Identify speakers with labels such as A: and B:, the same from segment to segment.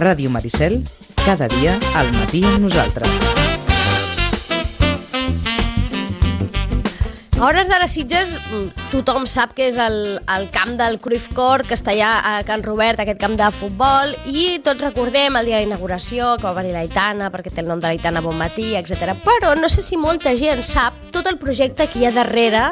A: Ràdio Maricel, cada dia al matí amb nosaltres.
B: A hores d'ara Sitges, tothom sap que és el camp del Cruyff Court, que està allà a Can Robert, aquest camp de futbol, i tots recordem el dia de la inauguració, que va venir l'Aitana, perquè té el nom de l'Aitana Bonmatí, etc. Però no sé si molta gent sap tot el projecte que hi ha darrere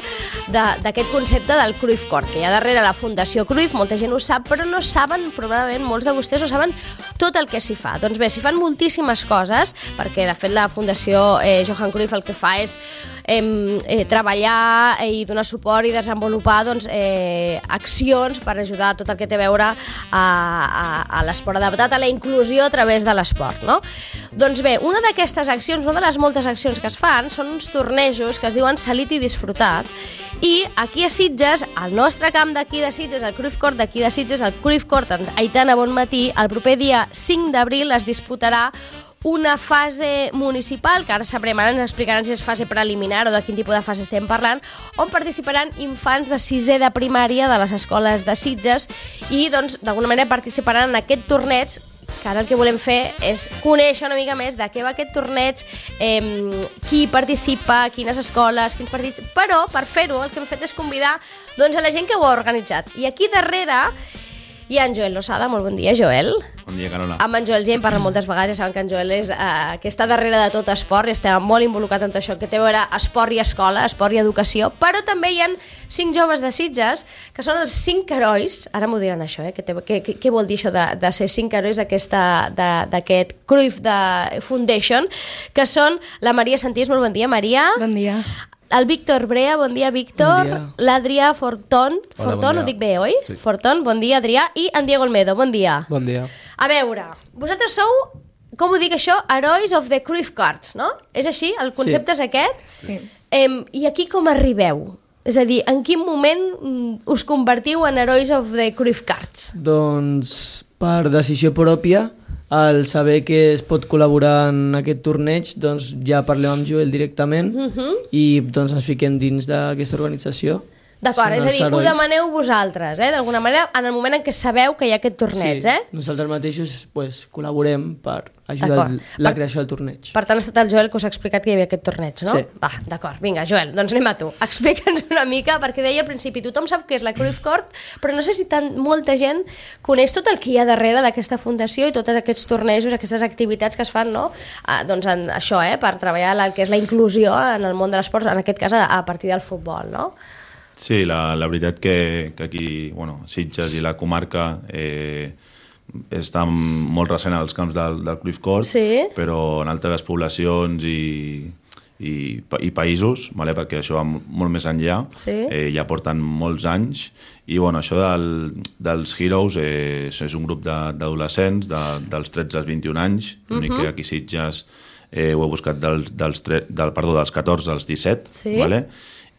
B: d'aquest concepte del Cruyff Court, que hi ha darrere la Fundació Cruyff, molta gent ho sap, però no saben, probablement molts de vostès no saben tot el que s'hi fa. Doncs bé, s'hi fan moltíssimes coses, perquè de fet la Fundació Johan Cruyff el que fa és treballar i donar suport i desenvolupar accions per ajudar tot el que té a veure a l'esport adaptat, a la inclusió a través de l'esport, no? Doncs bé, una d'aquestes accions, una de les moltes accions que es fan, són uns tornejos que es diuen Salit i Disfrutat, i aquí a Sitges, al nostre camp d'aquí de Sitges, el Cruyff Court d'aquí de Sitges, el Cruyff Court Aitana Bonmatí, el proper dia 5 d'abril es disputarà una fase municipal, que ara sabrem, ara ens explicaran si és fase preliminar o de quin tipus de fase estem parlant, on participaran infants de 6è de primària de les escoles de Sitges i, doncs, d'alguna manera participaran en aquest torneig, que ara el que volem fer és conèixer una mica més de què va aquest torneig, qui participa, quines escoles, quins partits... Però, per fer-ho, el que hem fet és convidar a la gent que ho ha organitzat. I aquí darrere hi ha en Joel Losada. Molt bon dia, Joel.
C: Bon dia, Carola.
B: Amb en Joel gent parla moltes vegades, ja saben que en Joel és que està darrere de tot esport i està molt involucrat en tot això, que té a veure esport i escola, esport i educació, però també hi ha 5 joves de Sitges, que són els 5 herois, ara m'ho diran això, què vol dir això de ser 5 herois d'aquest Cruyff Foundation, que són la Maria Santís. Molt bon dia, Maria.
D: Bon dia.
B: El Víctor Brea, bon dia, Víctor.
D: Bon dia.
B: L'Adrià Forton,
C: Hola, bon dia.
B: ho dic bé, oi?
C: Sí.
B: Forton, bon dia, Adrià. I en Diego Olmedo, bon dia.
D: Bon dia.
B: A veure, vosaltres sou, com ho dic això, Heroes of the Cruyff Cards, no? És així? El concepte és aquest?
D: Sí.
B: I aquí com arribeu? És a dir, en quin moment us convertiu en Heroes of the Cruyff Cards?
D: Doncs per decisió pròpia, al saber que es pot col·laborar en aquest torneig, doncs ja parlem amb Joel directament i doncs ens fiquem dins d'aquesta organització.
B: D'acord,
D: Són
B: és a dir,
D: els
B: ho
D: herois.
B: demaneu vosaltres, d'alguna manera, en el moment en què sabeu que hi ha aquest torneig,
D: Sí, nosaltres mateixos pues, col·laborem per ajudar
B: D'acord.
D: la creació del torneig.
B: Per tant, ha estat el Joel que us ha explicat que hi havia aquest torneig, no?
D: Sí.
B: Va, d'acord, vinga, Joel, doncs anem a tu. Explica'ns una mica, perquè deia al principi, tothom sap que és la Cruyff Court, però no sé si molta gent coneix tot el que hi ha darrere d'aquesta fundació i tots aquests tornejos, aquestes activitats que es fan, no? Doncs en això, per treballar el que és la inclusió en el món de l'esport, en aquest cas a partir del futbol, no?
C: Sí, la veritat que aquí, Sitges i la comarca està molt recent als camps del Cruyff Court,
B: Sí.
C: però en altres poblacions i països, perquè això va molt més enllà,
B: Sí.
C: ja porten molts anys, i això dels Heroes és un grup d'adolescents dels 13 als 21 anys, l'únic que aquí a Sitges ho he buscat dels 14 als 17,
B: Sí.
C: vale?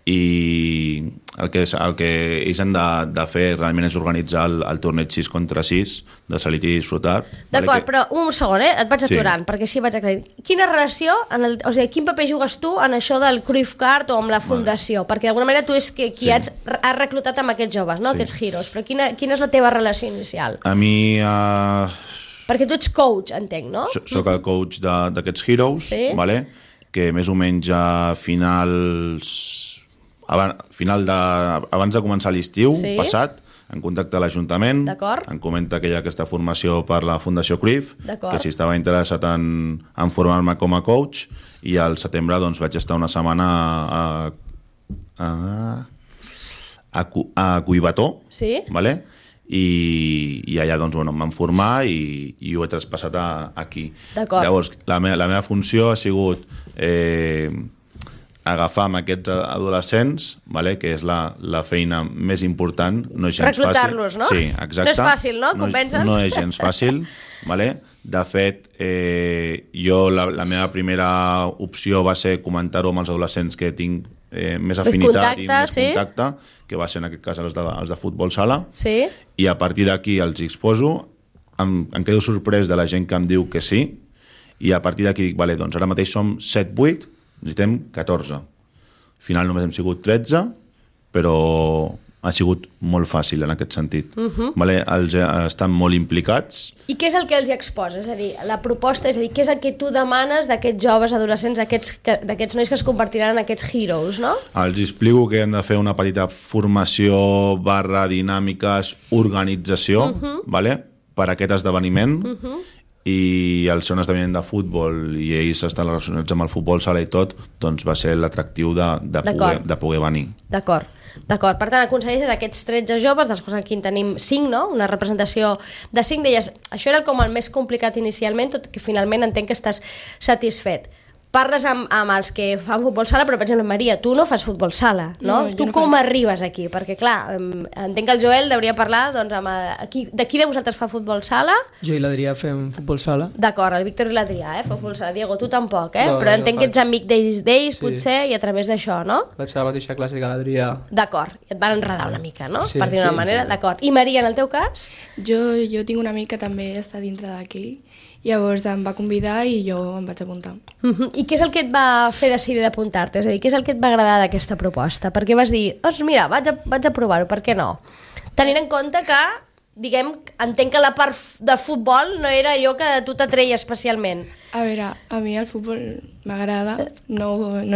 C: I el que ells han de fer realment és organitzar el torneig 6 contra 6 de Salit i Disfrutar.
B: D'acord, però un segon, et vaig
C: Sí.
B: aturant, perquè així vaig aclarir. Quina relació, o sigui, quin paper jugues tu en això del Cruyff Card o amb la fundació? Perquè d'alguna manera tu és qui
C: Sí.
B: has reclutat amb aquests joves, no?
C: Sí.
B: Aquests heroes, però quina és la teva relació inicial?
C: A mi
B: Perquè tu ets coach, entenc, no?
C: soc el coach d'aquests Heroes,
B: Sí.
C: vale? Que més o menys a abans de començar l'estiu
B: Sí.
C: passat, en contacte a l'Ajuntament,
B: D'acord.
C: em comenta que hi ha aquesta formació per la Fundació Cruyff,
B: D'acord.
C: que si estava interessat en formar-me com a coach, i al setembre doncs, vaig estar una setmana a Collbató,
B: Sí.
C: vale? I allà doncs, em van formar i ho he traspassat aquí.
B: D'acord.
C: Llavors, la meva funció ha sigut agafar amb aquests adolescents, vale? Que és la feina més important, no és gens fàcil.
B: Reclutar-los, no?
C: Sí, exacte.
B: No és fàcil, no? Convèncer-los?
C: No és gens fàcil, vale? De fet, jo la meva primera opció va ser comentar-ho amb els adolescents que tinc més afinitat i més contacte, que va ser en aquest cas els de futbol sala,
B: Sí.
C: i a partir d'aquí els exposo, em quedo sorprès de la gent que em diu que sí, i a partir d'aquí dic, vale, doncs ara mateix som 7-8, necessitem 14. Al final només hem sigut 13, però ha sigut molt fàcil en aquest sentit. Vale? Estan molt implicats.
B: I què és el que els hi exposa? És a dir, la proposta, és a dir, què és el que tu demanes d'aquests joves adolescents, d'aquests nois que es convertiran en aquests heroes, no?
C: Els explico que hem de fer una petita formació / dinàmiques, organització, vale? Per a aquest esdeveniment, i al ser un esdeveniment de futbol i ells estan relacionats amb el futbol sala i tot, doncs va ser l'atractiu de poder venir.
B: D'acord. Per tant, aconsegueixes aquests 13 joves, dels quals aquí en tenim 5, no? Una representació de 5 d'elles. Això era com el més complicat inicialment, tot que finalment entenc que estàs satisfet. Parles amb els que fan futbol sala, però per exemple, Maria, tu no fas futbol sala, no? Tu com arribes aquí? Perquè clar, entenc que el Joel hauria parlar doncs, de qui de vosaltres fa futbol sala?
D: Jo i l'Adrià fem futbol sala.
B: D'acord, el Víctor i l'Adrià, fa futbol sala. Diego, tu tampoc, però entenc que ets amic d'ells, potser, i a través d'això, no?
E: Vaig a la mateixa classe que l'Adrià.
B: D'acord, i et van enredar una mica, no? Per dir d'una manera, d'acord. I Maria, en el teu cas?
F: Jo tinc un amic que també està dintre d'aquí, llavors em va convidar i jo em vaig apuntar.
B: I què és el que et va fer decidir d'apuntar-te? És a dir, què és el que et va agradar d'aquesta proposta? Per què vas dir, mira, vaig a provar-ho, per què no? Tenint en compte que, diguem, entenc que la part de futbol no era allò que a tu t'atreia especialment.
F: A veure, a mi el futbol m'agrada, no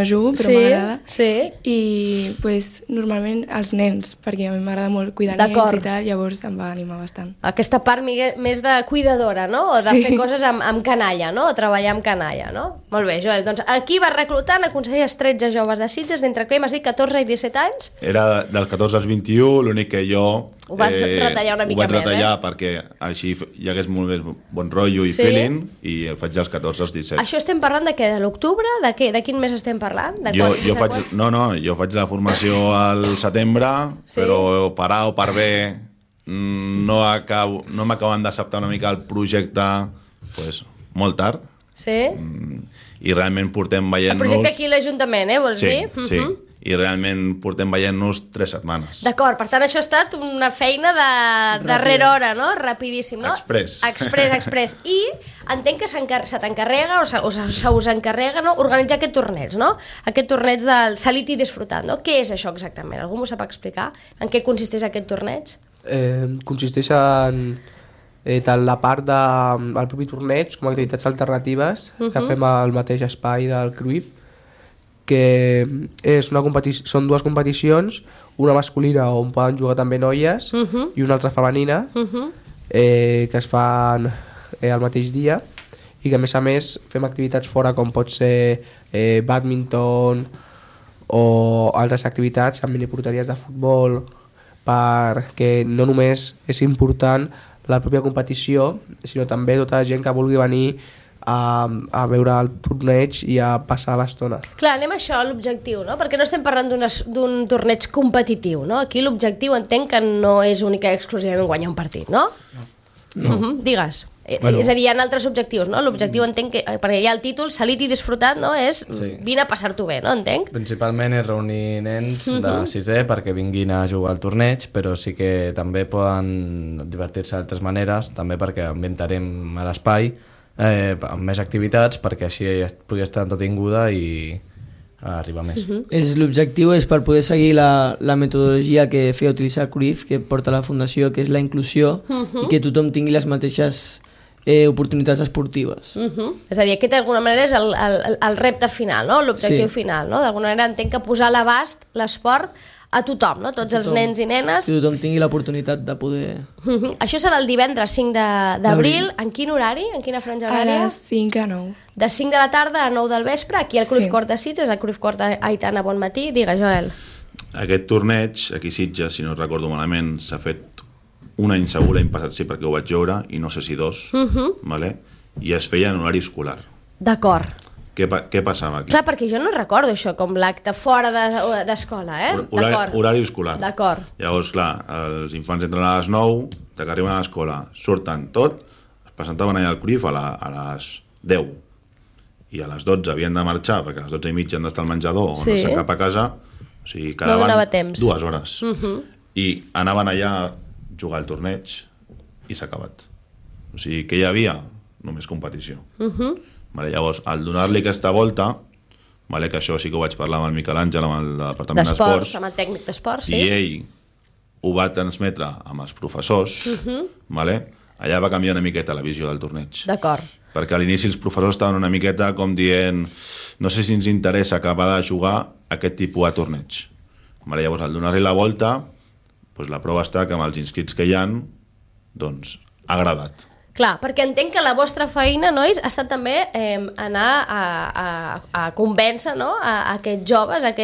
F: jugo, però m'agrada.
B: Sí.
F: I pues, normalment els nens, perquè a mi m'agrada molt cuidar nens i tal, llavors em va animar bastant.
B: Aquesta part més de cuidadora, no? O de fer coses amb canalla, no? O treballar amb canalla, no? Molt bé, Joel. Doncs aquí vas reclutant, aconseguies 13 joves de Sitges, d'entre què m'has dit 14 i 17 anys?
C: Era dels 14 als 21, l'únic que jo...
B: Ho vas retallar una mica més,
C: Ho vaig retallar perquè així hi hagués molt més bon rotllo i feeling, i faig dels 14 als 17.
B: Això estem parlant de què? De l'octubre? De què? De quin mes estem parlant?
C: Jo faig la formació al setembre, però per A o per B no m'acaben d'acceptar una mica el projecte molt tard.
B: Sí?
C: I realment portem veient-nos...
B: El projecte aquí a l'Ajuntament, vols dir?
C: Sí. I realment portem veient-nos 3 setmanes.
B: D'acord, per tant això ha estat una feina de darrera hora, no? Rapidíssim, no? Express. I entenc que se t'encarrega o se us encarrega, no? Organitzar aquest torneig, no? Aquest torneig del Salit i Disfrutant, no? Què és això exactament? Algú m'ho sap explicar? En què consisteix aquest torneig?
E: Consisteix en tant la part del propi torneig com activitats alternatives que fem al mateix espai del Cruyff, que són 2 competicions, una masculina on poden jugar també noies i una altra femenina que es fan al mateix dia, i que a més fem activitats fora com pot ser bàdminton o altres activitats amb miniporteries de futbol, perquè no només és important la pròpia competició, sinó també tota la gent que vulgui venir a veure el torneig i a passar l'estona.
B: Clar, anem a això, l'objectiu, no? Perquè no estem parlant d'un torneig competitiu, no? Aquí l'objectiu entenc que no és única i exclusivament guanyar un partit, no? No. Digues. Bueno. És a dir, hi ha altres objectius, no? L'objectiu entenc que, perquè hi ha el títol Salit i Disfrutat, no? És vine a passar-t'ho bé, no? Entenc?
G: Principalment és reunir nens de 6è perquè vinguin a jugar al torneig, però sí que també poden divertir-se d'altres maneres, també perquè ambientarem a l'espai amb més activitats perquè així pugui estar entretinguda i arribar més.
D: L'objectiu és per poder seguir la metodologia que feia utilitzar Cruyff, que porta la Fundació, que és la inclusió, i que tothom tingui les mateixes oportunitats esportives.
B: És a dir, aquest d'alguna manera és el repte final, no? L'objectiu final, no? D'alguna manera entenc que posar a l'abast l'esport a tothom, no? Tots els nens i nenes.
D: Que tothom tingui l'oportunitat de poder...
B: Això serà el divendres 5 d'abril. En quin horari? En quina franja horària?
F: A les 5 a 9.
B: De 5 de la tarda a 9 del vespre, aquí al Cruyff Court de Sitges, al Cruyff Court Aitana Bonmatí. Digue, Joel.
C: Aquest torneig, aquí a Sitges, si no recordo malament, s'ha fet un any segur, l'any passat sí, perquè ho vaig veure, i no sé si 2, vale? I es feia en horari escolar.
B: D'acord.
C: Què passava aquí?
B: Clar, perquè jo no recordo això com l'acte fora d'escola,
C: Horari escolar.
B: D'acord.
C: Llavors, clar, els infants entren a les 9, que arriben a l'escola, surten tot, es presentaven allà al Cruyff a les 10. I a les 12 havien de marxar, perquè a les 12 i mitja han d'estar al menjador o no sé, cap a casa. O sigui, quedaven 2 hores. I anaven allà a jugar al torneig i s'ha acabat. O sigui, que hi havia? Només competició. Vale, llavors, al donar-li aquesta volta, vale, que això sí que ho vaig parlar amb el Miquel Àngel, amb el departament d'esports,
B: amb el tècnic d'esports,
C: i ell ho va transmetre amb els professors, vale? Allà va canviar una miqueta la visió del torneig.
B: D'acord.
C: Perquè a l'inici els professors estaven una miqueta com dient no sé si ens interessa acabar de jugar aquest tipus de torneig. Vale? Llavors, al donar-li la volta, doncs la prova està que amb els inscrits que hi ha, doncs, ha agradat.
B: Clar, perquè entenc que la vostra feina, nois, ha estat també anar a convèncer, no?, a aquests joves, a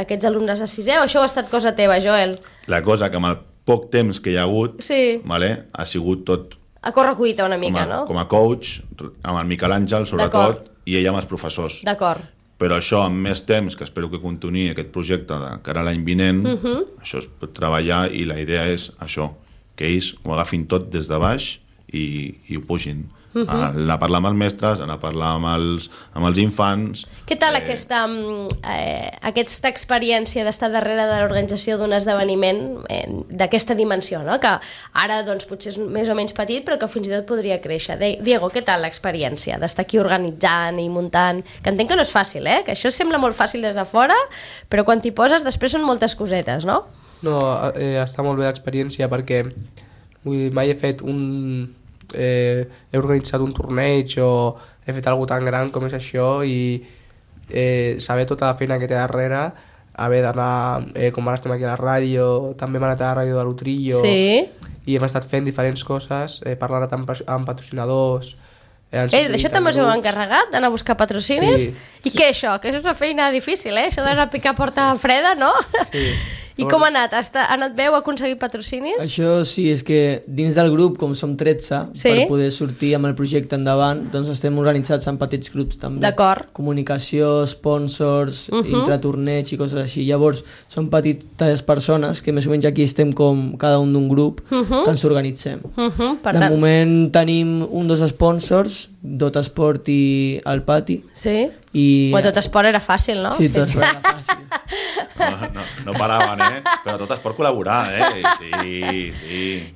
B: aquests alumnes de 6è, o això ha estat cosa teva, Joel?
C: La cosa que amb el poc temps que hi ha hagut,
B: Sí.
C: vale, ha sigut tot
B: A correcuita una mica, no?
C: com a coach, amb el Miquel Àngel, sobretot,
B: D'acord.
C: i ella amb els professors.
B: D'acord.
C: Però això, amb més temps, que espero que continuï aquest projecte de cara a l'any vinent, això es pot treballar i la idea és això, que ells ho agafin tot des de baix i ho pugin. Anar a parlar amb els mestres, anar a parlar amb els infants...
B: Què tal aquesta experiència d'estar darrere de l'organització d'un esdeveniment d'aquesta dimensió, no? Que ara doncs, potser és més o menys petit, però que fins i tot podria créixer. Diego, què tal l'experiència d'estar aquí organitzant i muntant? Que entenc que no és fàcil, que això sembla molt fàcil des de fora, però quan t'hi poses després són moltes cosetes, no?
E: No, està molt bé l'experiència perquè mai he fet he organitzat un torneig o he fet alguna tan gran com és això i saber tota la feina que té darrere, haver d'anar, com ara estem aquí a la ràdio, també hem anat a la ràdio de l'Utrillo i hem estat fent diferents coses, parlant amb patrocinadors.
B: D'això també us heu encarregat, d'anar a buscar patrocinis?
E: Sí.
B: I què això? Que això és una feina difícil, això d'anar a picar porta freda, no?
E: Sí.
B: I com ha anat? Ha anat bé? Heu aconseguit patrocinis?
D: Això sí, és que dins del grup, com som 13, per poder sortir amb el projecte endavant, doncs estem organitzats en petits grups també.
B: D'acord.
D: Comunicació, sponsors, intratorneig i coses així. Llavors, són petites persones que més o menys aquí estem com cada un d'un grup que ens organitzem. De moment tenim dos sponsors, Dot Esport i el Pati.
B: Sí?
D: I...
B: Tot esport era fàcil, no?
D: Sí, tot esport era fàcil.
C: No paraven, però tot es pot col·laborar, sí.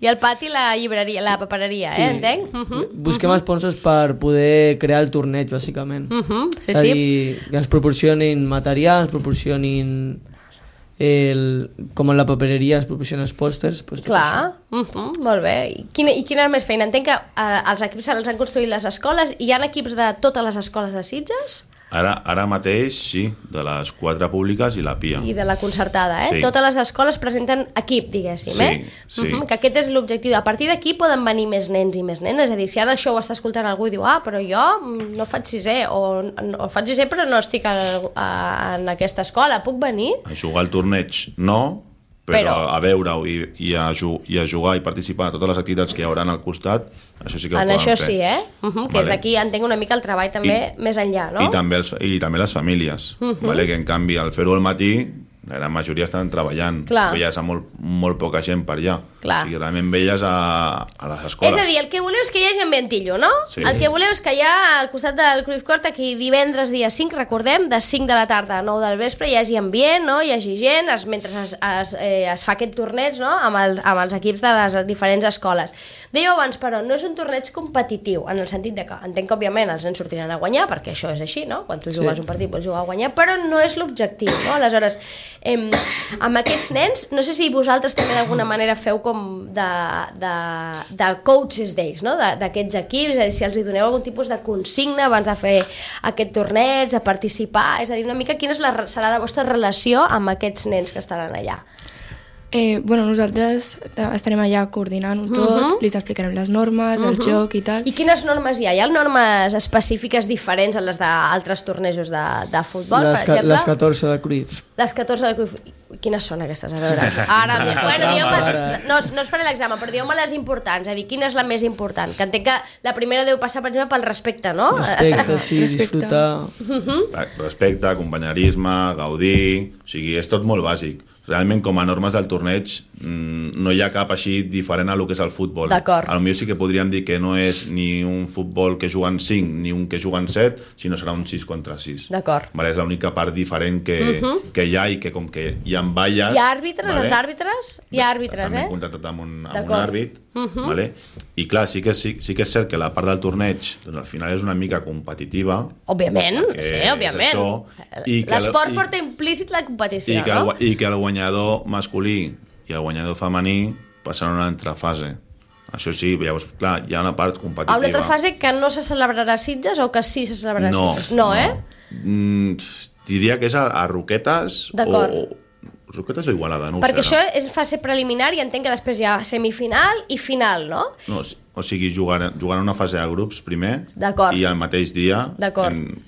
B: I el Pati, la llibreria, la papereria, entenc?
D: Busquem sponsors per poder crear el torneig, bàsicament.
B: Sí,
D: és a dir, que ens proporcionin material, ens proporcionin com en la papereria es proporcionen els pòsters. Doncs
B: clar, molt bé. I quina més feina? Entenc que els equips els han construït les escoles. Hi ha equips de totes les escoles de Sitges?
C: Ara mateix, sí, de les 4 públiques i la PIA.
B: I de la concertada,
C: Sí.
B: Totes les escoles presenten equip, diguéssim,
C: Sí.
B: Que aquest és l'objectiu. A partir d'aquí poden venir més nens i més nenes. És a dir, si ara això ho està escoltant algú i diu però jo no faig 6è, o faig 6è però no estic en aquesta escola, puc venir?
C: A jugar al torneig no, però a veure-ho i a jugar i participar a totes les activitats que hi haurà al costat, això sí que ho poden fer.
B: En això sí, que és aquí, entenc una mica el treball també més enllà, no?
C: I també les famílies, que en canvi al fer-ho al matí la gran majoria estan treballant.
B: Clar.
C: Veies a molt poca gent per allà.
B: Clar.
C: O sigui, realment veies a les escoles.
B: És a dir, el que voleu és que hi hagi ambientillo, no?
C: Sí.
B: El que voleu és que hi ha al costat del Cruyff Court aquí divendres dia 5, recordem, de 5 de la tarda a 9 del vespre hi hagi ambient, no? Hi hagi gent, mentre es fa aquest torneig, no? amb els equips de les diferents escoles. Dèieu abans, però, no és un torneig competitiu, en el sentit de que entenc que, òbviament, els nens sortiran a guanyar, perquè això és així, no? Quan tu jugues un partit pots jugar a guanyar, però no és l'objectiu, no? Aleshores, amb aquests nens, no sé si vosaltres també d'alguna manera feu com de coaches d'ells, no? D'aquests equips, és a dir, si els hi doneu algun tipus de consigna abans de fer aquest torneig, de participar, és a dir, una mica quina serà la vostra relació amb aquests nens que estaran allà.
F: Nosaltres estarem allà coordinant-ho tot, li explicarem les normes, el joc i tal.
B: I quines normes hi ha? Hi ha normes específiques diferents a les d'altres tornejos de futbol, per exemple?
D: Les 14 de Cruyff.
B: Les 14 de Cruyff. Quines són aquestes? A veure, no us faré l'examen, però dieu-me les importants, és a dir, quina és la més important? Que entenc que la primera deu passar, per exemple, pel respecte, no?
D: Respecte, sí, disfrutar.
C: Respecte, companyerisme, gaudir... O sigui, és tot molt bàsic. Realment, com a normes del torneig, no hi ha cap així diferent a lo que és el futbol.
B: D'acord.
C: Potser sí que podríem dir que no és ni un futbol que juguen 5 ni un que juguen 7, sinó serà un 6 contra 6.
B: D'acord.
C: És l'única part diferent que hi ha, i que com que hi ha valles...
B: Hi ha àrbitres, els àrbitres? Hi ha àrbitres,
C: també hem contractat amb un àrbit. I clar, sí que és cert que la part del torneig doncs, al final és una mica competitiva.
B: Òbviament, sí, òbviament. L'esport porta implícit la competició, no?
C: I que el guanyador masculí i el guanyador femení passaran a una altra fase. Això sí, llavors, clar, hi ha una part competitiva.
B: A una altra fase que no se celebrarà a Sitges o que sí se celebrarà a Sitges? No,
C: Diria que és a Roquetes o... Roquetes o Igualada, no ho sé.
B: Perquè això és fase preliminar i entenc que després hi ha semifinal i final, no?
C: No, o sigui, jugant una fase de grups primer i al mateix dia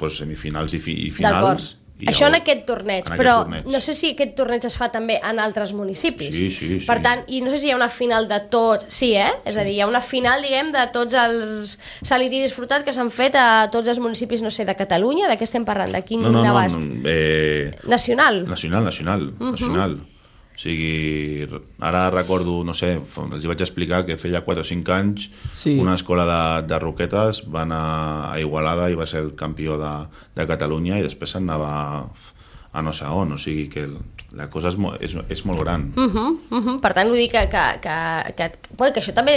C: semifinals i finals.
B: Això en aquest torneig, però no sé si aquest torneig es fa també en altres municipis.
C: Sí.
B: Per tant, i no sé si hi ha una final de tots... Sí, És a dir, hi ha una final, diguem, de tots els Salit i Disfrutat que s'han fet a tots els municipis, no sé, de Catalunya, de què estem parlant? De quin abast? Nacional?
C: Nacional. O sigui, ara recordo, no sé, els vaig explicar que feia 4 o 5 anys una escola de Roquetes va anar a Igualada i va ser el campió de Catalunya i després anava a no sé on, o sigui que la cosa és molt gran.
B: Per tant, vull dir que això també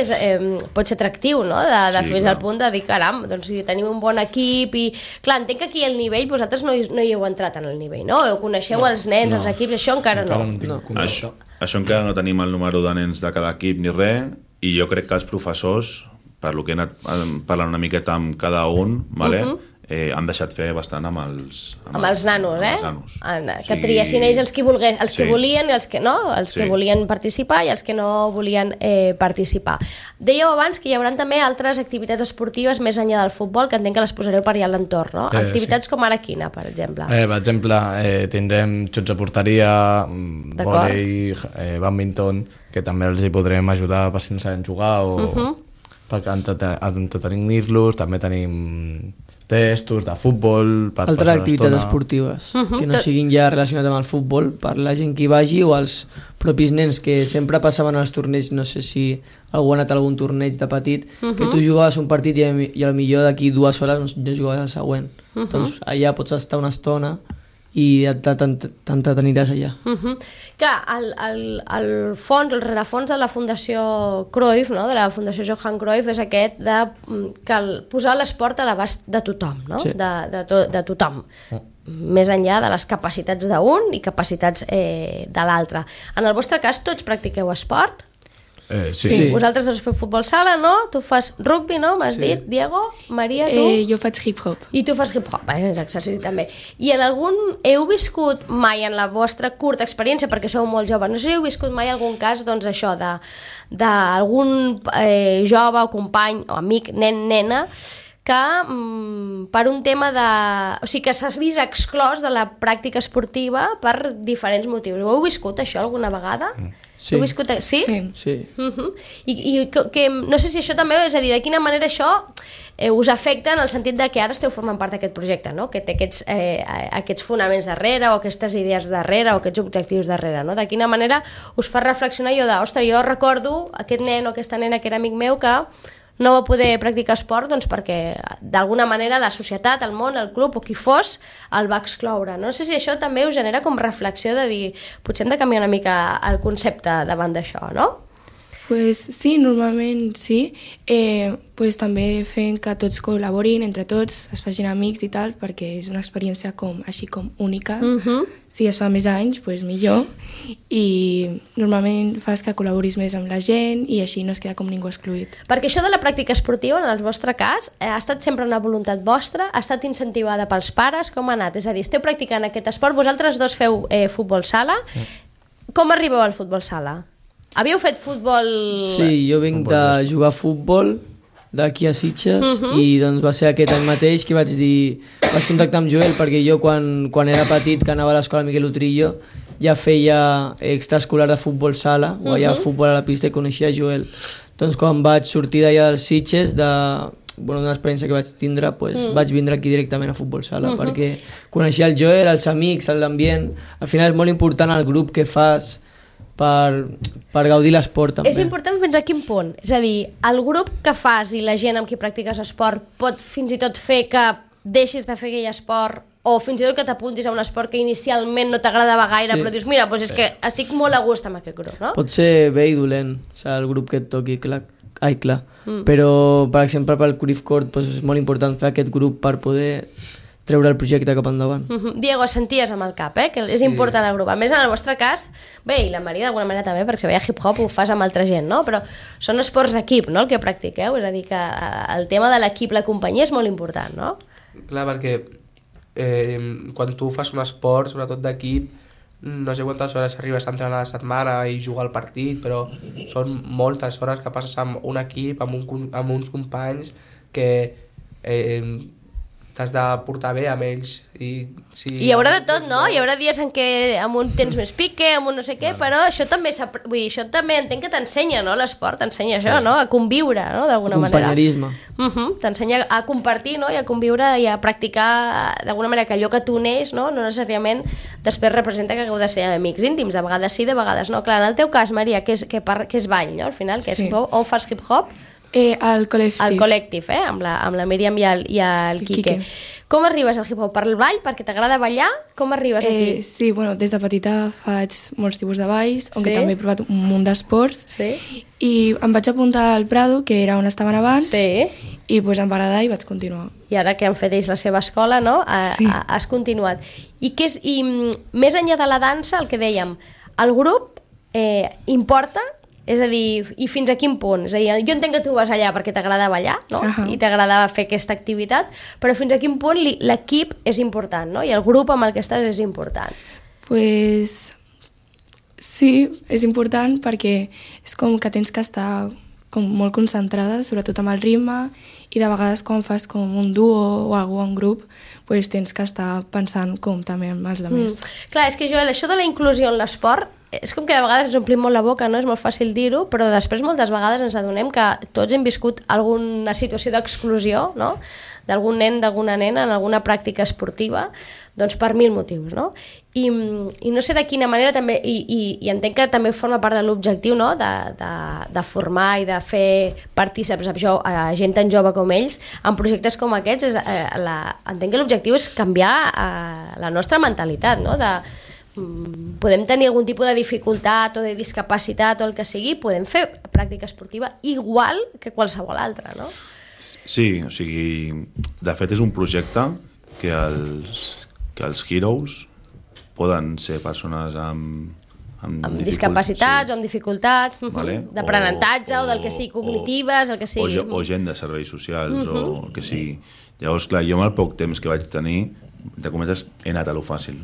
B: pot ser atractiu, no? De fins al punt de dir, caram, doncs tenim un bon equip i... Clar, entenc que aquí el nivell, vosaltres no hi heu entrat en el nivell, no? Coneixeu els nens, els equips, això encara no.
C: Això encara no tenim el número de nens de cada equip ni res, i jo crec que els professors, per lo que he anat parlant una miqueta amb cada un, han deixat fer bastant amb els
B: nanos, que triessin ells els que volien i els que no, els que volien participar i els que no volien participar. Dèieu abans que hi haurà també altres activitats esportives més enllà del futbol, que entenc que les posareu per allà a l'entorn, no? Activitats com ara quina, per exemple?
G: Per exemple, tindrem xots de porteria, vòlei, badminton, que també els hi podrem ajudar per si no saben jugar o perquè entretenir-los. També tenim testos de futbol per
D: altres activitats esportives que no siguin ja relacionades amb el futbol, per la gent que hi vagi o els propis nens que sempre passaven als torneigs. No sé si algú ha anat a algun torneig de petit que tu jugaves un partit i al millor d'aquí 2 hores no jugaves al següent, doncs allà pots estar una estona i t'entreteniràs allà.
B: Clar, el fons, el rerefons de la Fundació Cruyff, no? De la Fundació Johan Cruyff, és aquest de posar l'esport a l'abast de tothom, no? De tothom, més enllà de les capacitats d'un i capacitats de l'altre. En el vostre cas, tots practiqueu esport?
G: Sí.
B: Vosaltres dos feu futbol sala, no? Tu fas rugby, no? M'has dit, Diego? Maria, tu?
F: Jo faig hip-hop.
B: I tu fas hip-hop, és exercici també. I en algun... Heu viscut mai en la vostra curta experiència, perquè sou molt joves, no sé si heu viscut mai algun cas, doncs això, d'algun jove o company o amic, nen, nena, que per un tema de... O sigui, que s'ha vist exclòs de la pràctica esportiva per diferents motius. Ho heu viscut, això, alguna vegada?
D: Sí.
B: Heu viscut... Sí?
D: Sí.
B: I que no sé si això també, és a dir, de quina manera això us afecta en el sentit de que ara esteu formant part d'aquest projecte, no? Que té aquests fonaments darrere o aquestes idees darrere o aquests objectius darrere, no? De quina manera us fa reflexionar jo ostres, jo recordo aquest nen o aquesta nena que era amic meu que no va poder practicar esport doncs perquè d'alguna manera la societat, el món, el club o qui fos el va excloure. No sé si això també us genera com reflexió de dir potser hem de canviar una mica el concepte davant d'això, no?
F: Pues sí, normalment sí. Pues també fent que tots col·laborin entre tots, es facin amics i tal, perquè és una experiència així com única. Si es fa més anys, pues millor. I normalment fas que col·laboris més amb la gent i així no es queda com ningú excluït.
B: Perquè això de la pràctica esportiva, en el vostre cas, ha estat sempre una voluntat vostra? Ha estat incentivada pels pares? Com ha anat? És a dir, esteu practicant aquest esport, vosaltres dos feu futbol sala. Com arribeu al futbol sala? Havíeu fet futbol...
D: Sí, jo vinc de jugar a futbol d'aquí a Sitges i doncs va ser aquest any mateix que vaig contactar amb Joel perquè jo quan era petit, que anava a l'escola Miguel Utrillo, ja feia extraescolar de futbol sala o allà futbol a la pista i coneixia Joel. Doncs quan vaig sortir d'allà dels Sitges, d'una experiència que vaig tindre, vaig vindre aquí directament a futbol sala perquè coneixia el Joel, els amics, l'ambient. Al final és molt important el grup que fas per gaudir l'esport també.
B: És important fins a quin punt? És a dir, el grup que fas i la gent amb qui practiques esport pot fins i tot fer que deixis de fer aquell esport o fins i tot que t'apuntis a un esport que inicialment no t'agradava gaire, però dius, mira, doncs és que estic molt a gust amb aquest grup, no?
D: Pot ser bé i dolent, el grup que et toqui, clar. Però, per exemple, pel Cruyff Court és molt important fer aquest grup per poder treure el projecte cap endavant.
B: Diego, senties amb el cap, que és important el grup. A més, en el vostre cas, bé, i la Maria d'alguna manera també, perquè si veia hip-hop ho fas amb altra gent, no? Però són esports d'equip, no?, el que practiqueu, és a dir, que el tema de l'equip, la companyia és molt important, no?
E: Clar, perquè quan tu fas un esport, sobretot d'equip, no sé quantes hores arribes a entrenar a la setmana i jugar al partit, però són moltes hores que passes amb un equip, amb uns companys que t'has de portar bé amb ells. I
B: hi haurà de tot, no? Hi haurà dies en què amb un tens més pique, amb un no sé què, però això també entenc que t'ensenya, no? L'esport t'ensenya això, no? A conviure, no? D'alguna manera.
D: Companyerisme.
B: T'ensenya a compartir, no? I a conviure i a practicar d'alguna manera que allò que tu neix, no necessàriament després representa que hagueu de ser amics íntims, de vegades sí, de vegades no. Clar, en el teu cas, Maria, que és ball, no? Al final, que és hip-hop, on fas hip-hop?
F: Al col·lectiu.
B: Al col·lectiu, amb la Míriam i el Quique. Com arribes al hip-hop? Per el ball? Perquè t'agrada ballar? Com arribes aquí?
F: Sí, bueno, des de petita faig molts tipus de balls, on també he provat un munt d'esports, i em vaig apuntar al Prado, que era on estaven abans, i pues em va agradar i vaig continuar.
B: I ara que han fet ells la seva escola, no? Has continuat. I més enllà de la dansa, el que dèiem, el grup importa? És a dir, i fins a quin punt? És a dir, jo entenc que tu vas allà perquè t'agrada ballar, no? I t'agrada fer aquesta activitat, però fins a quin punt l'equip és important, no? I el grup amb el que estàs és important.
F: Pues sí, és important perquè és com que tens que estar com molt concentrada, sobretot amb el ritme, i de vegades quan fas com un duo o algun grup, pues tens que estar pensant com també amb els altres.
B: Clar, és que Joel, això de la inclusió en l'esport és com que de vegades ens omplim molt la boca, no? És molt fàcil dir-ho, però després moltes vegades ens adonem que tots hem viscut alguna situació d'exclusió, no? D'algun nen, d'alguna nena en alguna pràctica esportiva, doncs per 1000 motius, no? I no sé de quina manera també, i entenc que també forma part de l'objectiu, no? De formar i de fer partíceps a gent tan jove com ells en projectes com aquests. Entenc que l'objectiu és canviar la nostra mentalitat, no? Podem tenir algun tipus de dificultat o de discapacitat o el que sigui, podem fer pràctica esportiva igual que qualsevol altra, no?
C: Sí, o sigui, de fet és un projecte que els Heroes poden ser persones amb
B: discapacitats o amb dificultats, d'aprenentatge o del que sigui, cognitives, el que sigui.
C: O gent de serveis socials o el que sigui. Llavors, clar, jo amb el poc temps que vaig tenir, de cometes, he anat a lo fàcil.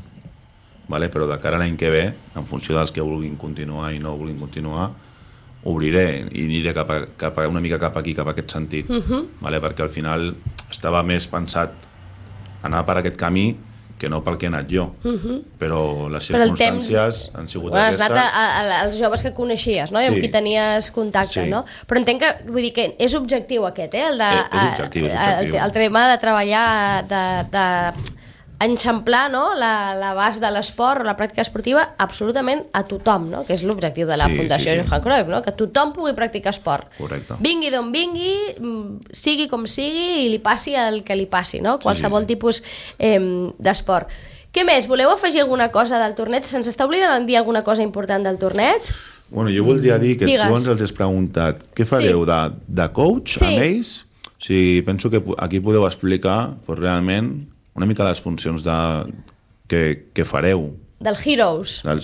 C: Però de cara a l'any que ve, en funció dels que vulguin continuar i no vulguin continuar, obriré i aniré una mica cap aquí, cap a aquest sentit, perquè al final estava més pensat anar per aquest camí que no pel que he anat jo, però les circumstàncies han sigut aquestes. Has
B: anat als joves que coneixies, no? I amb qui tenies contacte, no? Però entenc que, vull dir que és objectiu aquest,
C: és objectiu.
B: El tema de treballar, de enxamplar, no? L'abast de l'esport o la pràctica esportiva absolutament a tothom, no? Que és l'objectiu de la Fundació Johan Cruyff, no? Que tothom pugui practicar esport.
C: Correcte.
B: Vingui d'on vingui, sigui com sigui i li passi el que li passi, no? Qualsevol tipus d'esport. Què més? Voleu afegir alguna cosa del torneig? Se'ns està oblidant dir alguna cosa important del torneig?
C: Bueno, jo voldria dir que tu ens els has preguntat què fareu de coach amb ells? O sigui, penso que aquí podeu explicar realment una mica les funcions que fareu.
B: Del Heroes. El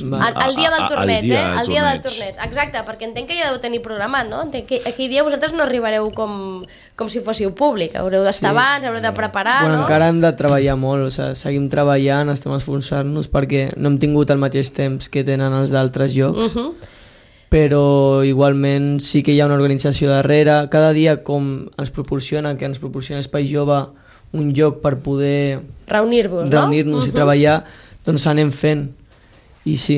B: dia del torneig, el dia del torneig. Exacte, perquè entenc que ja deu tenir programat, no? Entenc que aquell dia vosaltres no arribareu com si fóssiu públic. Haureu d'estar abans, haureu de preparar, no?
D: Encara hem de treballar molt, seguim treballant, estem esforçant-nos perquè no hem tingut el mateix temps que tenen els d'altres llocs. Però igualment sí que hi ha una organització darrere. Cada dia com ens proporciona Espai Jove un lloc per poder reunir-nos i treballar, doncs anem fent. I sí.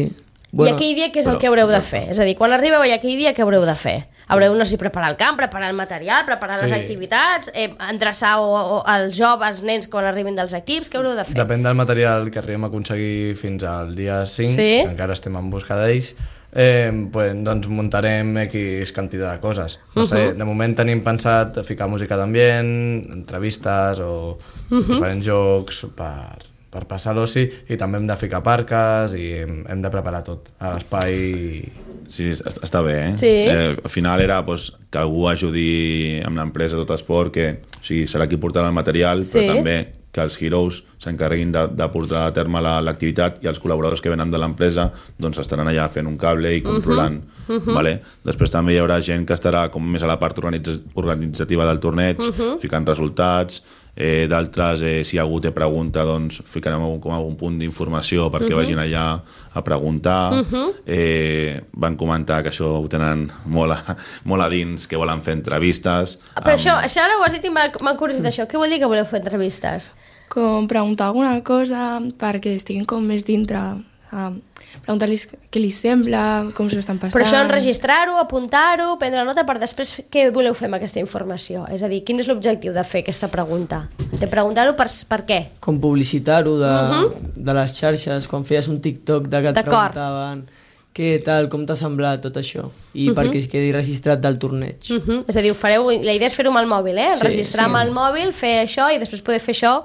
B: I aquell dia què és el que haureu de fer? És a dir, quan arribeu allà aquell dia què haureu de fer? Haureu de preparar el camp, preparar el material, preparar les activitats, endreçar els joves, els nens quan arribin dels equips, què haureu de fer?
G: Depèn del material que arribem a aconseguir fins al dia 5, que encara estem en busca d'ells, doncs muntarem X quantitat de coses. No sé, de moment tenim pensat ficar música d'ambient, entrevistes o diferents jocs per passar l'oci, i també hem de ficar parques i hem de preparar tot a l'espai.
C: Sí, està bé, eh?
B: Sí.
C: Al final era que algú ajudi amb l'empresa Tot Esport, que serà qui portarà el material, però també que els heroes s'encarreguin de portar a terme l'activitat i els col·laboradors que venen de l'empresa doncs estaran allà fent un cable i controlant. Vale? Després també hi haurà gent que estarà com més a la part organitzativa del torneig, ficant resultats, d'altres, si algú té pregunta, doncs ficarem com algun punt d'informació perquè vagin allà a preguntar. Van comentar que això ho tenen molt a dins, que volen fer entrevistes.
B: Però això ara ho has dit i m'ha curiositat això. Què vol dir que voleu fer entrevistes?
F: Com preguntar alguna cosa perquè estiguin com més dintre, preguntar-los què li sembla, com s'ho estan passant.
B: Però això enregistrar-ho, apuntar-ho, prendre nota per després què voleu fer amb aquesta informació? És a dir, quin és l'objectiu de fer aquesta pregunta? De preguntar-ho per què?
D: Com publicitar-ho de les xarxes, quan feies un TikTok que et preguntaven què tal, com t'ha semblat tot això, i perquè es quedi registrat del torneig.
B: És a dir, la idea és fer-ho amb el mòbil, registrar amb el mòbil, fer això i després poder fer això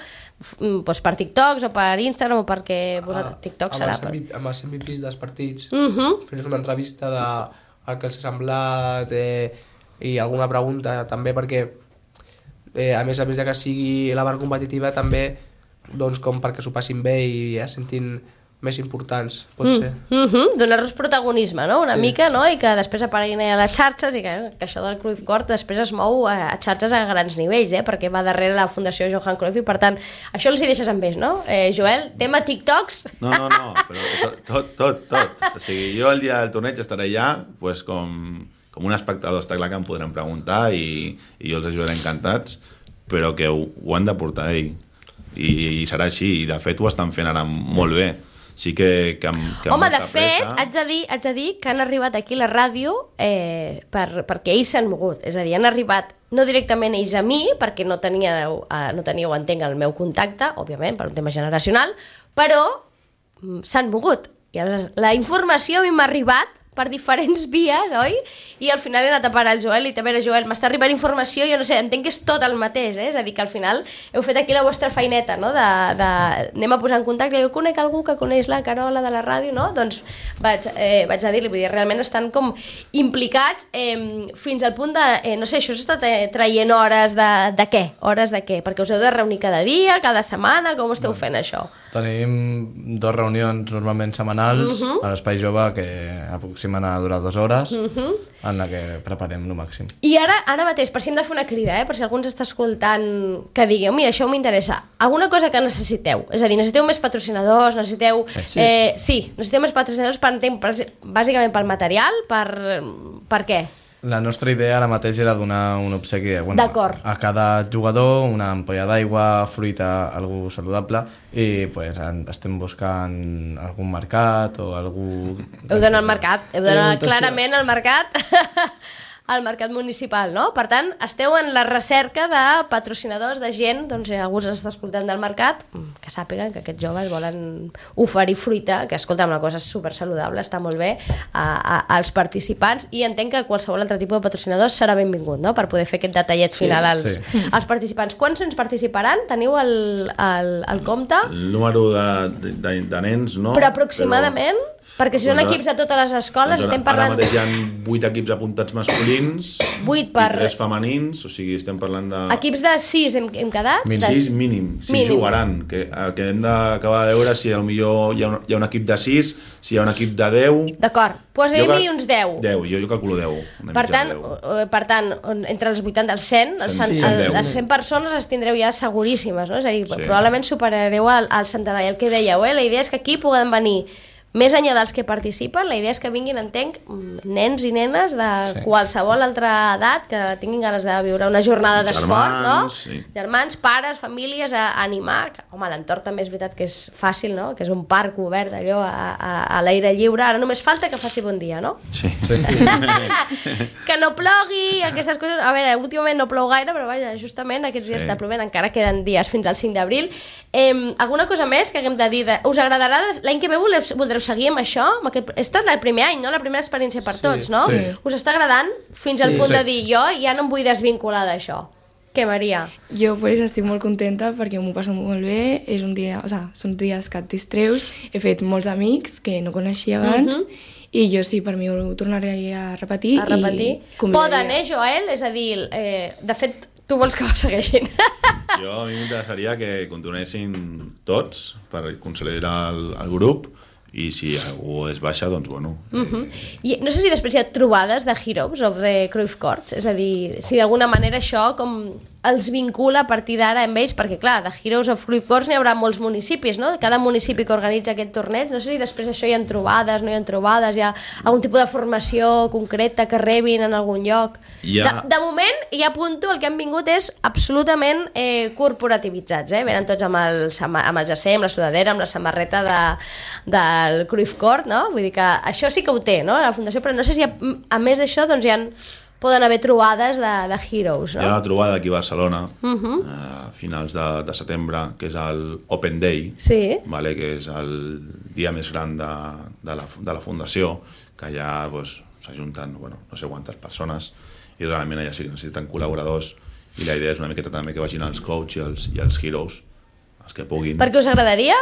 B: per TikToks o per Instagram o perquè TikTok serà.
E: Amb els MVPs dels partits, fer-los una entrevista del que els ha semblat i alguna pregunta també, perquè a més de que sigui la part competitiva també doncs com perquè s'ho passin bé i es sentin més importants, pot ser.
B: Donar-los protagonisme, no? Una mica, no? I que després apareguin a les xarxes i que això del Cruyff Court després es mou a xarxes a grans nivells, perquè va darrere la Fundació Johan Cruyff i per tant, això els hi deixes amb ells, no? Joel, tema TikToks?
C: No, però tot. O sigui, jo el dia del torneig estaré allà pues, com un espectador, està clar que em podran preguntar i jo els ajudaré encantats, però que ho han de portar ell. I serà així, i de fet ho estan fent ara molt bé. Sí que
B: home, de fet, haig de dir que han arribat aquí a la ràdio perquè ells s'han mogut. És a dir, han arribat no directament ells a mi, perquè no teníeu, entenc, el meu contacte, òbviament, per un tema generacional, però s'han mogut. I aleshores, la informació a mi m'ha arribat per diferents vies, oi? I al final he anat a parar el Joel i també era Joel, m'està arribant informació, jo no sé, entenc que és tot el mateix, és a dir, que al final heu fet aquí la vostra feineta, no? Anem a posar en contacte, jo conec algú que coneix la Carola de la ràdio, no? Doncs vaig a dir-li, vull dir, realment estan com implicats fins al punt de, no sé, això s'està traient hores de què? Hores de què? Perquè us heu de reunir cada dia, cada setmana, com esteu fent això?
G: Tenim 2 reunions normalment setmanals a l'Espai Jove que aproximen a durar 2 hores en la que preparem el màxim.
B: I ara mateix, per si hem de fer una crida, per si algú ens està escoltant, que digueu, mira, això m'interessa, alguna cosa que necessiteu, és a dir, necessiteu més patrocinadors, necessiteu més patrocinadors bàsicament pel material, per què?
G: La nostra idea ara mateix era donar un obsequi a cada jugador, una ampolla d'aigua, fruita, algú saludable, i pues, estem buscant algun mercat o algú...
B: Heu d'anar al mercat, heu d'anar clarament al mercat, al mercat municipal, no? Per tant, esteu en la recerca de patrocinadors, de gent, doncs algú s'està escoltant del mercat, que sàpiguen que aquests joves volen oferir fruita, que escolta, una cosa super saludable, està molt bé, als participants, i entenc que qualsevol altre tipus de patrocinador serà benvingut, no?, per poder fer aquest detallet final als participants. Quants ens participaran? Teniu el compte?
C: El número de nens, no?
B: Però aproximadament? Perquè si són equips a totes les escoles, estem parlant...
C: Ara mateix hi ha 8 equips apuntats masculins,
B: 8 per...
C: i 3 femenins, o sigui, estem parlant de...
B: Equips de 6 hem quedat?
C: 6 mínim, 6 jugaran. El que hem d'acabar de veure si potser hi ha un equip de 6, si hi ha un equip de 10...
B: D'acord, posem-hi uns 10.
C: 10, jo calculo 10.
B: Per tant, entre els 80 i els 100, les 100 persones les tindreu ja seguríssimes, no? És a dir, probablement superareu el centenar. I el que dèieu, la idea és que aquí poden venir més enllà dels que participen, la idea és que vinguin, entenc, nens i nenes de qualsevol altra edat que tinguin ganes de viure una jornada d'esport, no? Germans, pares, famílies, a animar. Home, l'entorn també és veritat que és fàcil, no? Que és un parc obert, allò, a l'aire lliure. Ara només falta que faci bon dia, no?
C: Sí.
B: Que no plogui, aquestes coses... A veure, últimament no plou gaire, però vaja, justament aquests dies està plovent, encara queden dies fins al 5 d'abril. Alguna cosa més que haguem de dir? Us agradarà? L'any que ve voldreu seguir amb això? Està el primer any, no? La primera experiència per tots, no?
G: Sí.
B: Us està agradant fins al punt de dir jo ja no em vull desvincular d'això? Què, Maria?
F: Jo pues, estic molt contenta perquè m'ho passo molt bé, és un dia, són dies que et distreus, he fet molts amics que no coneixia abans, i jo sí, per mi ho tornaré a repetir.
B: Poden, Joel? És a dir, de fet, Tu vols que ho segueixin?
C: Jo a mi m'interessaria que continuessin tots per consolidar el grup, i si algú es baixa, doncs bueno.
B: I no sé si després hi ha trobades de Heroes of the Cruyff Courts, és a dir, si d'alguna manera això com els vincula a partir d'ara amb ells, perquè clar, de Heroes of Cruyff Courts n'hi haurà molts municipis, no? Cada municipi que organitza aquest torneig, no sé si després això hi ha trobades, no hi ha trobades, hi ha algun tipus de formació concreta que rebin en algun lloc. De moment, ja apunto, el que han vingut és absolutament corporativitzats, venen tots amb el jersei, amb la sudadera, amb la samarreta del Cruyff Court, no? Vull dir que això sí que ho té, no?, la fundació, però no sé si a més d'això doncs poden haver trobades de Heroes, no?
C: Hi ha una trobada aquí a Barcelona a finals de setembre, que és el Open Day, vale, que és el dia més gran de la fundació, que allà s'ajunten no sé quantes persones, i realment allà sí que necessiten col·laboradors, i la idea és una miqueta també que vagin els coaches i els heroes, els que puguin.
B: Perquè us agradaria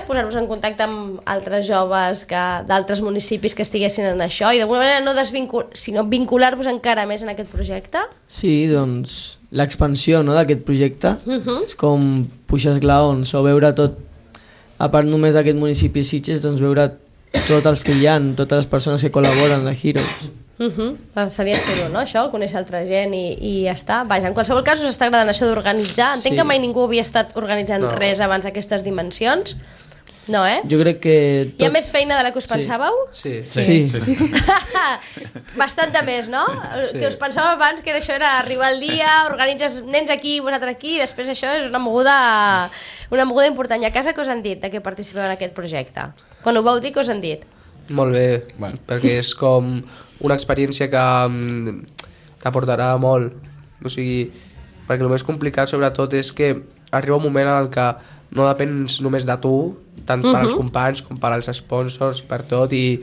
B: posar-vos en contacte amb altres joves d'altres municipis que estiguessin en això i d'alguna manera sinó vincular-vos encara més en aquest projecte?
D: Sí, doncs l'expansió d'aquest projecte és com puixar esglaons o veure tot, a part només d'aquest municipi Sitges, doncs veure tots els que hi ha, totes les persones que col·laboren de Heroes.
B: Seria xulo, no? Això, conèixer altra gent i ja està. Vaja, en qualsevol cas us està agradant això d'organitzar. Entenc que mai ningú havia estat organitzant res abans d'aquestes dimensions. No,
D: Jo crec que...
B: Hi ha més feina de la que us pensàveu?
E: Sí.
B: Bastanta més, no? Que us pensàveu abans que això era arribar al dia, organitzes nens aquí, vosaltres aquí, i després això és una moguda important. I a casa què us han dit de que participeu en aquest projecte? Quan ho vau dir, què us han dit?
E: Molt bé, perquè és com una experiència que t'aportarà molt. O sigui, perquè el més complicat sobretot és que arriba un moment en el que no depens només de tu, tant per als companys com per als sponsors i per tot, i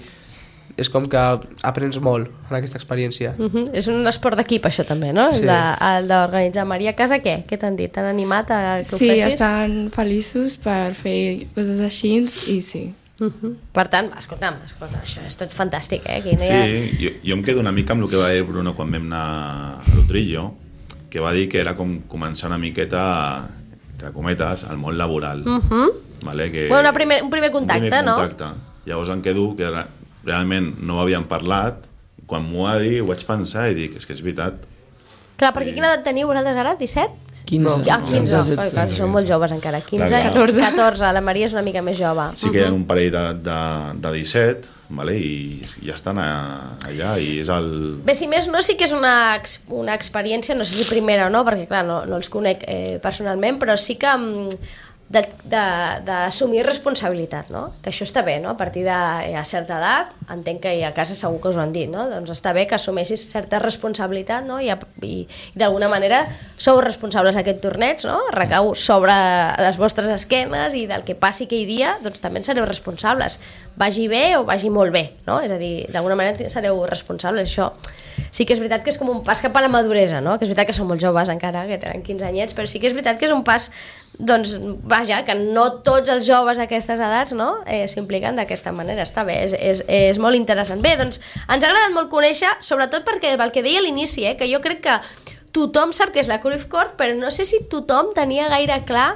E: és com que aprens molt en aquesta experiència.
B: És un esport d'equip això també, no?
E: Sí.
B: El d'organitzar. Maria, a casa què? Què t'han dit? T'han animat a que ho fessis?
F: Sí, estan feliços per fer coses així i sí.
B: Per tant, escolta'm, això és tot fantàstic,
C: jo em quedo una mica amb el que va dir Bruno quan vam anar a l'Utrillo, que va dir que era com començar una miqueta, entre cometes, al món laboral. Vale?
B: Un primer contacte, no?
C: Llavors em quedo que realment no ho havíem parlat, quan m'ho va dir ho vaig pensar i dic, és que és veritat.
B: Clar, perquè quina edat teniu vosaltres ara? 17?
D: 15.
B: 15. Són molt joves encara. 15, 14. La Maria és una mica més jove.
C: Sí que hi ha un parell de 17, vale? I ja estan allà i és el...
B: Bé, si més no, sí que és una experiència, no sé si primera o no, perquè clar, no els conec personalment, però sí que d'assumir responsabilitat, no? Que això està bé, no? A partir de certa edat, entenc que a casa segur que us ho han dit, no? Doncs està bé que assumeixis certa responsabilitat, no? I d'alguna manera sou responsables d'aquest torneig, no? Recau sobre les vostres esquenes i del que passi aquell dia, doncs també en sereu responsables. Vagi bé o vagi molt bé, no? És a dir, d'alguna manera sereu responsables, això. Sí que és veritat que és com un pas cap a la maduresa, no? Que és veritat que són molt joves encara, que tenen 15 anyets, però sí que és veritat que és un pas, doncs, vaja, que no tots els joves d'aquestes edats, no?, s'impliquen d'aquesta manera. Està bé, és molt interessant. Bé, doncs, ens ha agradat molt conèixer, sobretot perquè el que deia a l'inici, que jo crec que tothom sap que és la Cruyff Court, però no sé si tothom tenia gaire clar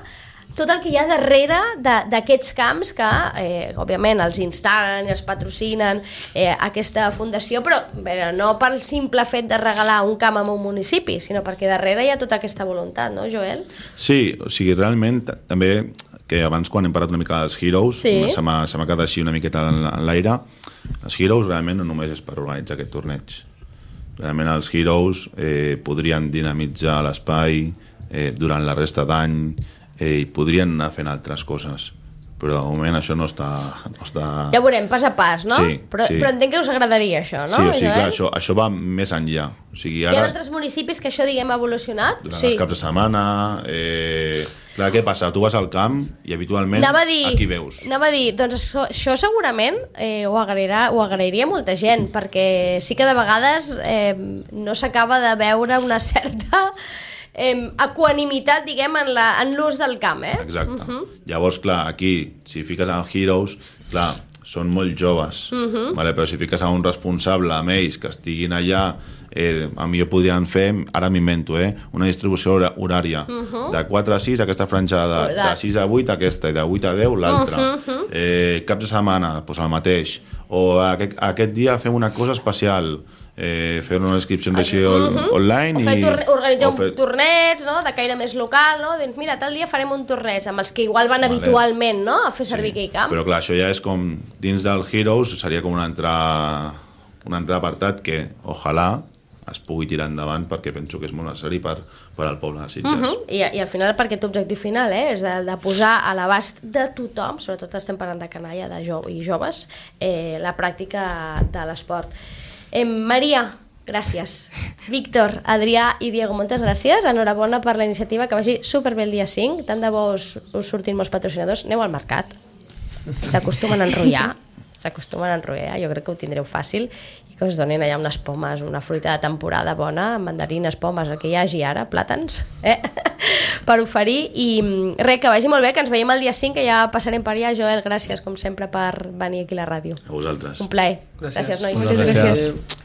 B: tot el que hi ha darrere d'aquests camps que, òbviament, els instal·len i els patrocinen aquesta fundació, però no pel simple fet de regalar un camp a un municipi, sinó perquè darrere hi ha tota aquesta voluntat, no, Joel?
C: Sí, o sigui, realment, també, que abans quan hem parlat una mica dels Heroes, se m'ha quedat així una miqueta en l'aire, els Heroes realment no només és per organitzar aquest torneig. Realment els Heroes podrien dinamitzar l'espai durant la resta d'any, i podrien anar fent altres coses, però de moment això no està...
B: Ja veurem, pas a pas, no?
C: Sí,
B: però entenc que us agradaria això, no?
C: Sí, clar, això va més enllà. O sigui,
B: ara... Hi ha altres municipis que això, diguem, ha evolucionat?
C: Durant els caps de setmana... Clar, què passa? Tu vas al camp i habitualment aquí veus.
B: Anava a dir, doncs això segurament ho agrairia molta gent, perquè sí que de vegades no s'acaba de veure una certa... equanimitat, diguem, en l'ús del camp,
C: Exacte. Llavors, clar, aquí, si fiques en Heroes, clar, són molt joves, vale? Però si fiques a un responsable amb ells que estiguin allà a millor podrien fer, ara m'invento, una distribució horària de 4 a 6 aquesta franja de 6 a 8 aquesta i de 8 a 10 l'altra. Caps de setmana, doncs el mateix. O aquest dia fem una cosa especial, fer una inscripció així online
B: organitzar un torneig, no? De caire més local, no? Doncs mira, tal dia farem un torneig amb els que igual van habitualment, no? A fer servir aquell camp.
C: Però clar, això ja és com dins del Heroes, seria com un altre apartat que ojalà es pugui tirar endavant perquè penso que és molt necessari per al poble de Sitges.
B: I al final per aquest objectiu final és de posar a l'abast de tothom, sobretot estem parlant de canalla i joves, la pràctica de l'esport. Maria, gràcies. Víctor, Adrià i Diego, moltes gràcies. Enhorabona per la iniciativa, que vagi superbé el dia 5. Tant de bo us sortin molts patrocinadors. Aneu al mercat. S'acostumen a enrotllar. Jo crec que ho tindreu fàcil i que us donin allà unes pomes, una fruita de temporada bona, mandarines, pomes, el que hi hagi ara, plàtans, per oferir. I res, que vagi molt bé, que ens veiem el dia 5, que ja passarem per allà. Joel, gràcies, com sempre, per venir aquí a la ràdio.
C: A vosaltres.
B: Un plaer. Gràcies, nois.
G: Moltes gràcies.